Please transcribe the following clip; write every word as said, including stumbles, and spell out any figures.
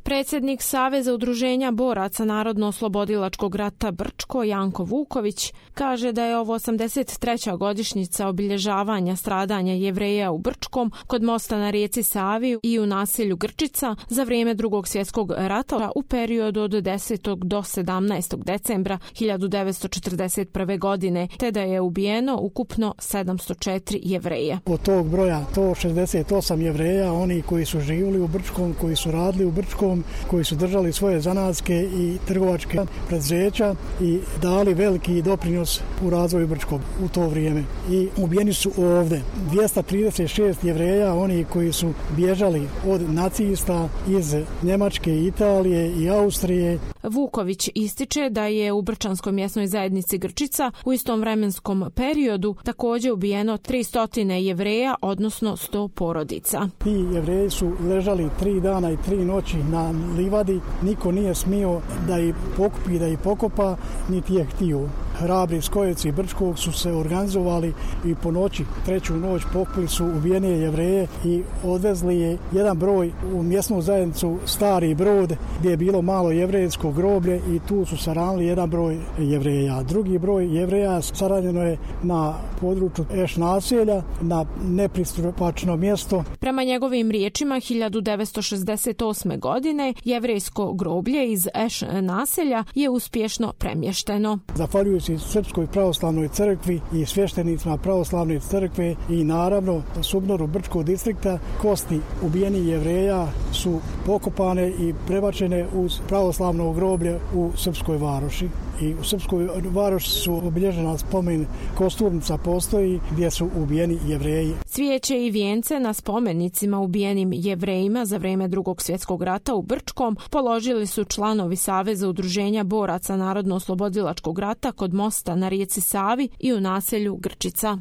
Predsjednik Saveza udruženja boraca Narodno-oslobodilačkog rata Brčko Janko Vuković kaže da je ovo osamdeset treća godišnjica obilježavanja stradanja Jevreja u Brčkom kod mosta na rijeci Savi i u naselju Grčica za vrijeme Drugog svjetskog rata u periodu od desetog do sedamnaestog decembra hiljadu devetsto četrdeset prve. godine, te da je ubijeno ukupno sedamsto četiri Jevreja. Od tog broja sto šezdeset osam Jevreja, oni koji su živjeli u Brčkom, koji su radili u Brčkom, koji su držali svoje zanatske i trgovačke preduzeća i dali veliki doprinos u razvoju Brčkog u to vrijeme. I ubijeni su ovdje dvjesto trideset šest Jevreja, oni koji su bježali od nacista iz Njemačke, Italije i Austrije. Vuković ističe da je u Brčanskoj mjesnoj zajednici Grčica u istom vremenskom periodu također ubijeno tristo Jevreja, odnosno sto porodica. Ti Jevreji su ležali tri dana i tri noći na livadi, niko nije smio da ih pokupi, da ih pokopa, niti je htio. Hrabri skojevci Brčkog su se organizovali i po noći, treću noć pokupili su ubijene Jevreje i odvezli je jedan broj u mjesnu zajednicu Stari Brod gdje je bilo malo jevrejsko groblje i tu su saranili jedan broj Jevreja. Drugi broj Jevreja saranjeno je na području Eš naselja, na nepristupačno mjesto. Prema njegovim riječima, hiljadu devetsto šezdeset osme. godine jevrejsko groblje iz Eš naselja je uspješno premješteno. Zahvaljujući Srpskoj pravoslavnoj crkvi i svještenicima pravoslavne crkve i naravno Subnoru Brčkog distrikta, kosti ubijenih Jevreja su pokopane i prebačene uz pravoslavno groblje u Srpskoj Varoši. I u Srpskoj Varoši su obilježena spomen kosturnica postoji gdje su ubijeni Jevreji. Cvijeće i vijence na spomenicima ubijenim Jevrejima za vrijeme Drugog svjetskog rata u Brčkom položili su članovi Saveza udruženja boraca Narodno-oslobodilačkog rata kod mosta na rijeci Savi i u naselju Grčica.